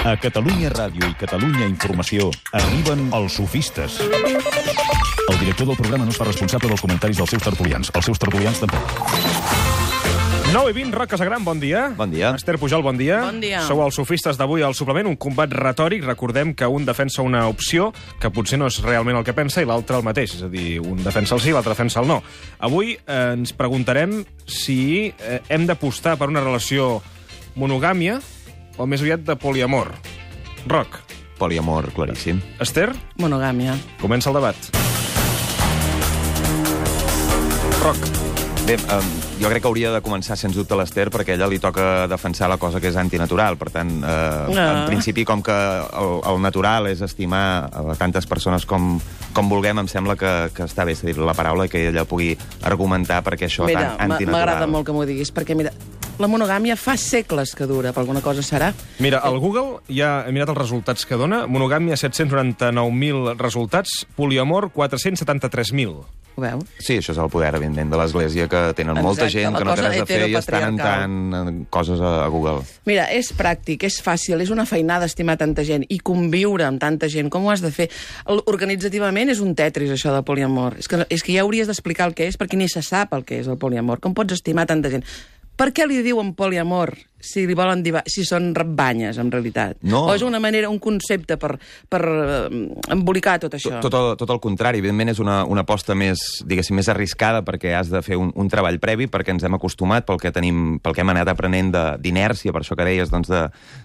A Catalunya Ràdio i Catalunya Informació arriben els sofistes. El director del programa no es fa responsable dels comentaris dels seus tertulians. Els seus tertulians tampoc. 9:20, Roc Casagran, bon dia. Bon dia. Esther Pujol, bon dia. Bon dia. Sou els sofistes d'avui al suplement, un combat retòric. Recordem que un defensa una opció que potser no és realment el que pensa i l'altre el mateix. És a dir, un defensa el sí i l'altre defensa el no. Avui ens preguntarem si hem d'apostar per una relació monogàmia o més aviat de poliamor. Roc. Poliamor, claríssim. Esther, Monogàmia. comença el debat. Roc. Bé, jo crec que hauria de començar, sens dubte, l'Esther, perquè a ella li toca defensar la cosa que és antinatural. Per tant, en principi, com que el natural és estimar a tantes persones com vulguem, em sembla que està bé, és a dir, la paraula, que ella pugui argumentar perquè això Mira, tan antinatural. m'agrada molt que m'ho diguis, perquè mira, la monogàmia fa segles que dura, per alguna cosa serà. Mira, al Google ja he mirat els resultats que dona. Monogàmia, 799.000 resultats. Poliamor, 473.000. Ho veu? Sí, això és el poder, evidentment, de l'Església, que tenen molta Exacte, gent la que no té cosa res a fer i estan en heteropatriarcal. coses a Google. Mira, és pràctic, és fàcil, és una feinada estimar tanta gent i conviure amb tanta gent. Com ho has de fer? Organitzativament és un tetris, això de poliamor. És que ja hauries d'explicar el que és, perquè ni se sap el que és el poliamor. Com pots estimar tanta gent? Per què li diuen poliamor si li volen dir, si són banyes, en realitat? No. O és una manera, un concepte per embolicar tot això? Tot el contrari. Evidentment és una aposta més, diguéssim, més arriscada, perquè has de fer un treball previ, perquè ens hem acostumat pel que hem anat aprenent d'inèrcia, per això que deies doncs,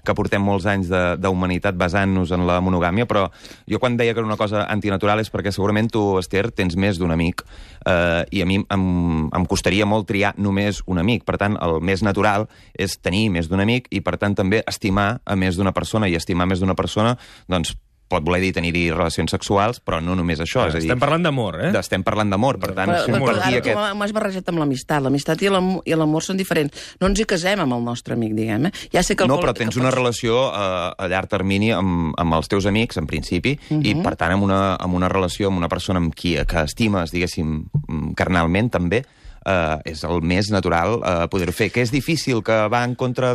que portem molts anys d'humanitat basant-nos en la monogàmia, però jo quan deia que era una cosa antinatural és perquè segurament tu, Esther, tens més d'un amic, i a mi em costaria molt triar només un amic. Per tant, el més natural és tenir més d'un amic i, per tant, també estimar a més d'una persona. I estimar més d'una persona, doncs, pot voler dir tenir-hi relacions sexuals, però no només això. És a dir, Estem parlant d'amor, eh? estem parlant d'amor, per tant... Però ara aquest... tu m'has barrejat amb l'amistat. L'amistat i l'amor són diferents. No ens hi casem amb el nostre amic, diguem, Ja sé que No, però tens una relació a llarg termini amb els teus amics, en principi, i, per tant, amb una relació amb una persona amb qui que estimes, diguéssim, carnalment, també, és el més natural poder-ho fer. Que és difícil, que va en contra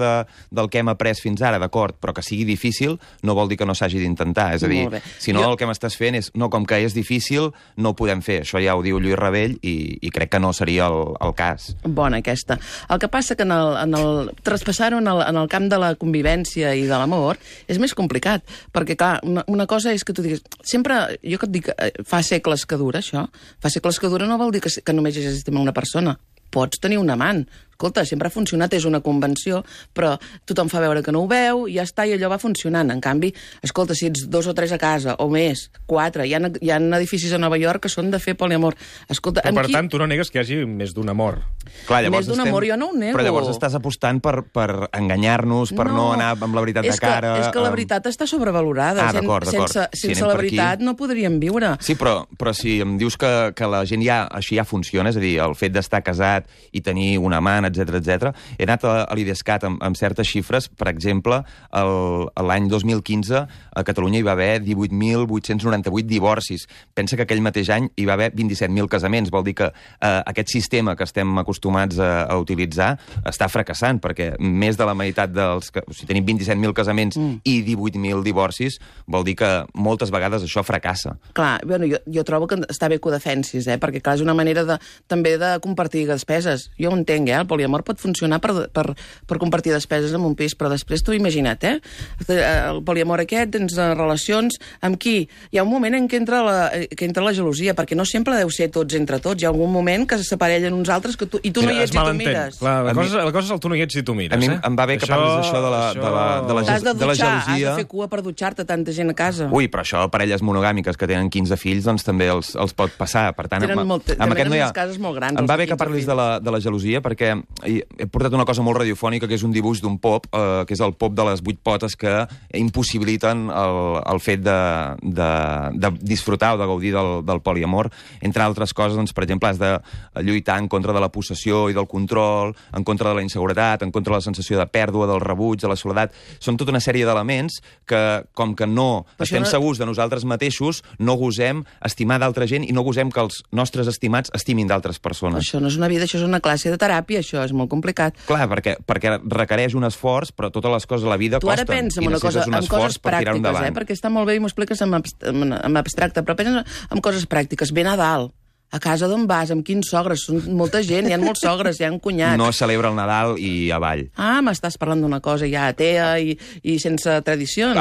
del que hem après fins ara, d'acord, però que sigui difícil no vol dir que no s'hagi d'intentar. És a dir, si no, el que m'estàs fent és, no, com que és difícil, no ho podem fer. Això ja ho diu Lluís Rabell i crec que no seria el cas. Bona, aquesta. El que passa que traspassar-ho en el camp de la convivència i de l'amor és més complicat, perquè, clar, una cosa és que tu diguis... Sempre, jo que et dic, fa segles que dura, això. Fa segles que dura no vol dir que només hi hagi una persona. Pots tenir un amant. Escolta, sempre ha funcionat, és una convenció, però tothom fa veure que no ho veu, i ja està, i allò va funcionant. En canvi, escolta, si ets 2 o 3 a casa, o més, 4, hi ha edificis a Nova York que són de fer poliamor. Escolta, però, per tant, tu no negues que hi hagi més d'un amor. Clar, més d'un amor jo no ho nego. Però llavors estàs apostant per enganyar-nos, per no anar amb la veritat de cara... És que la veritat està sobrevalorada. D'acord. Sense la veritat no podríem viure. Sí, però si em dius que la gent així ja funciona, és a dir, el fet d'estar casat i tenir un amant, etc. He anat a l'IDESCAT amb certes xifres. Per exemple, l'any 2015 a Catalunya hi va haver 18.898 divorcis. Pensa que aquell mateix any hi va haver 27.000 casaments. Vol dir que aquest sistema que estem acostumats a utilitzar està fracassant, perquè més de la meitat si tenim 27.000 casaments i 18.000 divorcis, vol dir que moltes vegades això fracassa. Clar, bueno, jo trobo que està bé que ho defensis, perquè clar, és una manera també de compartir despeses. Jo ho entenc, el poliamor pot funcionar per compartir despeses en un pis, però després tu imagina't, el poliamor aquest, tens relacions amb qui? Hi ha un moment en què entra la gelosia, perquè no sempre deu ser tots entre tots. Hi ha algun moment que s'aparellen uns altres i tu no hi ets i tu mires. Clar, la cosa és el tu no hi ets i tu mires. A mi em va bé que parlis d'això de la gelosia. Has de fer cua per dutxar-te tanta gent a casa. Ui, però això, parelles monogàmiques que tenen 15 fills, doncs també els pot passar. Per tant, amb aquest no hi ha... cases molt grans. Em va bé que parlis de la gelosia, perquè he portat una cosa molt radiofònica, que és un dibuix d'un pop, que és el pop de les 8 potes que impossibiliten el fet de disfrutar o de gaudir del poliamor. Entre altres coses, doncs, per exemple, has de lluitar en contra de la possessió i del control, en contra de la inseguretat, en contra de la sensació de pèrdua, del rebuig, de la soledat. Són tota una sèrie d'elements que, com que no estem segurs de nosaltres mateixos, no gosem estimar d'altra gent i no gosem que els nostres estimats estimin d'altres persones. Això no és una vida, això és una classe de teràpia, això. això és molt complicat. Clar, perquè requereix un esforç, però totes les coses a la vida tu ara costen. pensa en una cosa, en coses pràctiques, perquè està molt bé i m'ho expliques en abstracte, però pensa en coses pràctiques. Ve Nadal. A casa d'on vas? Amb quins sogres? Són molta gent, hi ha molts sogres, hi ha cunyats. No es celebra el Nadal i avall. M'estàs parlant d'una cosa ja atea i sense tradicions.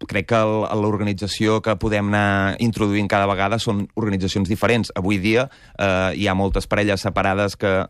Crec que l'organització que podem anar introduint cada vegada són organitzacions diferents. Avui dia hi ha moltes parelles separades que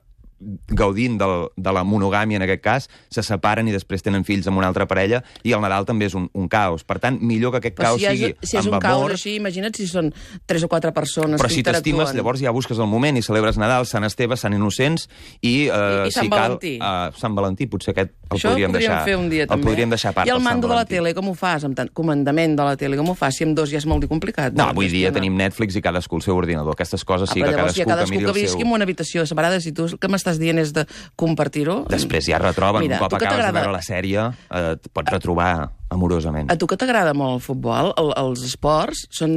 gaudint de la monogàmia, en aquest cas, se separen i després tenen fills amb una altra parella, i el Nadal també és un caos. Per tant, millor que aquest caos sigui amb amor. Si és un caos així, imagina't si són 3 o 4 persones però que si interactuen. t'estimes, llavors ja busques el moment i celebres Nadal, Sant Esteve, Sant Innocents i Sant Valentí. Sant Valentí, potser aquest el això podríem deixar. Fer un dia, el podríem deixar a part. I el mando de la tele, com ho fas? Amb comandament de la tele, com ho fas? Si amb dos ja és molt complicat. No, avui dia tenim Netflix i cadascú el seu ordinador. Aquestes coses sí que cadascú que miri el seu... visqui en una habitació separada, si tu el que m'estàs dient és de compartir-ho... Després ja retroben, un cop acabes de veure la sèrie, et pots retrobar amorosament. A tu que t'agrada molt el futbol, els esports són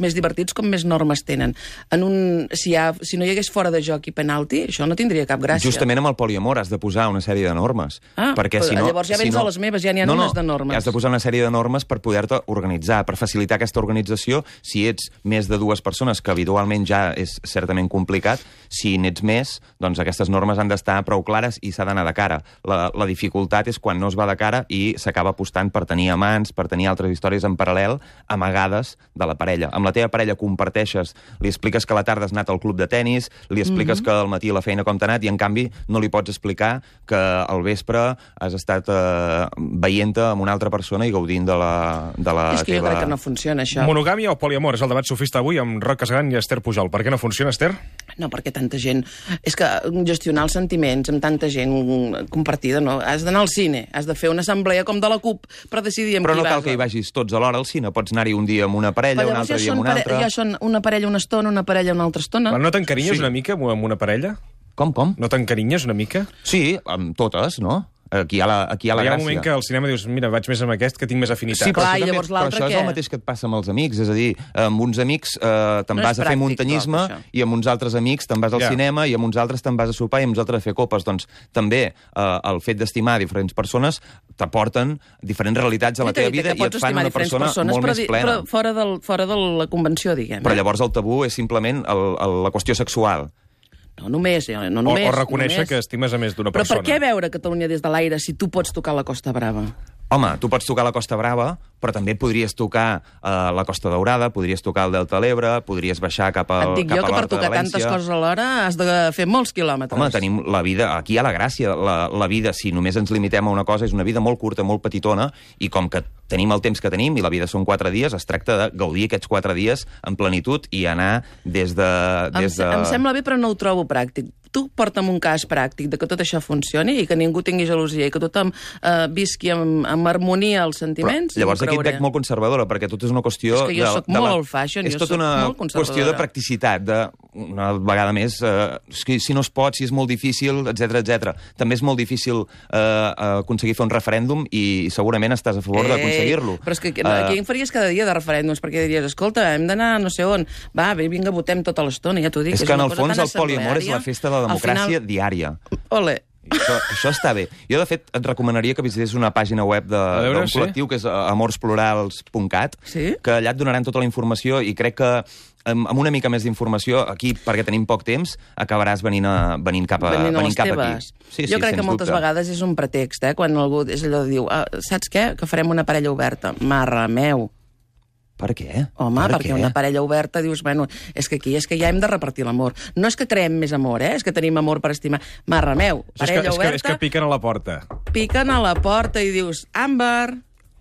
més divertits com més normes tenen. Si no hi hagués fora de joc i penalti, això no tindria cap gràcia. Justament amb el poliamor has de posar una sèrie de normes. Perquè si no, llavors ja vens a les meves, ja n'hi ha unes de normes. Has de posar una sèrie de normes per poder-te organitzar, per facilitar aquesta organització. Si ets més de 2 persones, que habitualment ja és certament complicat, si n'ets més, doncs aquestes normes han d'estar prou clares i s'ha d'anar de cara. La dificultat és quan no es va de cara i s'acaba apostant per tenir amants, per tenir altres històries en paral·lel, amagades de la parella. Amb la teva parella comparteixes, li expliques que a la tarda has anat al club de tennis, li expliques que al matí a la feina com t'ha anat, i en canvi no li pots explicar que al vespre has estat veient-te amb una altra persona i gaudint de la És que jo crec que no funciona, això. Monogàmia o poliamor? És el debat sofista avui amb Roc Casagran i Esther Pujol. Per què no funciona, Esther? No, perquè tanta gent... És que gestionar els sentiments amb tanta gent compartida, no? Has d'anar al cine, has de fer una assemblea com de la CUP per decidir amb però qui vas. Però no cal que hi vagis tots alhora al cine. Pots anar-hi un dia amb una parella, un altre dia amb una altra... Ja són una parella una estona, una parella una altra estona. Però no t'encarinyes una mica amb una parella? Com? No t'encarinyes una mica? Sí, amb totes, no? Aquí hi ha la gràcia. Hi ha un moment que al cinema dius, mira, vaig més amb aquest, que tinc més afinitat. Sí, però, clar, i llavors però això és el mateix que et passa amb els amics. És a dir, amb uns amics te'n vas a fer muntanyisme i amb uns altres amics te'n vas al cinema i amb uns altres te'n vas a sopar i amb uns altres a fer copes. Doncs també el fet d'estimar diferents persones t'aporten diferents realitats a la teva vida i et fan una persona molt més plena. Però fora de la convenció, diguem. Però llavors el tabú és simplement la qüestió sexual. No només. O reconèixer que estimes a més d'una persona. Però per què veure Catalunya des de l'aire si tu pots tocar la Costa Brava? Home, tu pots tocar la Costa Brava, però també podries tocar la Costa Daurada, podries tocar el Delta de l'Ebre, podries baixar cap a l'Horta de València. Et dic jo que per tocar tantes coses alhora has de fer molts quilòmetres. Home, tenim la vida... Aquí hi ha la gràcia. La vida, si només ens limitem a una cosa, és una vida molt curta, molt petitona, i com que tenim el temps que tenim i la vida són 4 dies, es tracta de gaudir aquests 4 dies en plenitud i anar des de... Em sembla bé, però no ho trobo pràctic. Tu porta'm un cas pràctic de que tot això funcioni i que ningú tingui gelosia i que tothom visqui amb harmonia els sentiments. Però, llavors aquí et veig molt conservadora, perquè tot és una qüestió... És que jo soc molt old fashion, és tota una qüestió de practicitat, una vegada més, si no es pot, si és molt difícil, etc. També és molt difícil aconseguir fer un referèndum i segurament estàs a favor d'aconseguir-lo. Però és que aquí en faries cada dia de referèndums, perquè diries, escolta, hem d'anar no sé on, va, vinga, votem tota l'estona, ja t'ho dic. És que en el fons el poliamor és la festa de la democràcia diària. Ole. Això està bé. Jo, de fet, et recomanaria que visités una pàgina web d'un col·lectiu que és amorsplurals.cat, que allà et donaran tota la informació i crec que amb una mica més d'informació, aquí, perquè tenim poc temps, acabaràs venint cap aquí. Jo crec que moltes vegades és un pretext, quan algú és allò de dir, saps què? Que farem una parella oberta. Marra meu. Per què? Home, perquè una parella oberta dius, bueno, és que aquí és que ja hem de repartir l'amor. No és que creem més amor, és que tenim amor per estimar. Marra meu, parella oberta... És que piquen a la porta. Piquen a la porta i dius, Àmbar...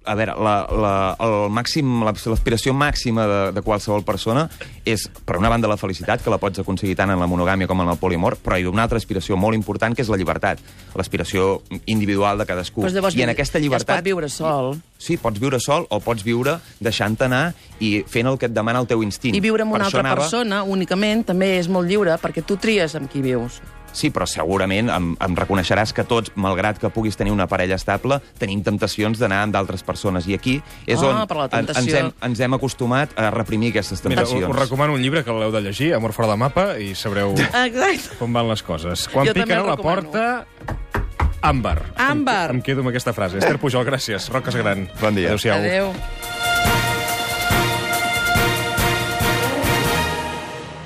A veure, l'aspiració màxima de qualsevol persona és, per una banda, la felicitat, que la pots aconseguir tant en la monogàmia com en el poliamor, però hi ha una altra aspiració molt important, que és la llibertat, l'aspiració individual de cadascú. I en aquesta llibertat... Ja es pot viure sol. Sí, pots viure sol o pots viure deixant-te anar i fent el que et demana el teu instint. I viure amb una altra persona, únicament, també és molt lliure, perquè tu tries amb qui vius. Sí, però segurament em reconeixeràs que tots, malgrat que puguis tenir una parella estable, tenim temptacions d'anar amb d'altres persones. I aquí és on per la tentació. ens hem acostumat a reprimir aquestes Mira, temptacions. us recomano un llibre que l'heu de llegir, Amor fora de mapa, i sabreu Exacte. com van les coses. Quan Jo també piquen a el la recomano. porta... Àmbar. Àmbar. Em quedo amb aquesta frase. Esther Pujol, gràcies. Roques Gran. Bon dia. Adéu-siau. Adéu.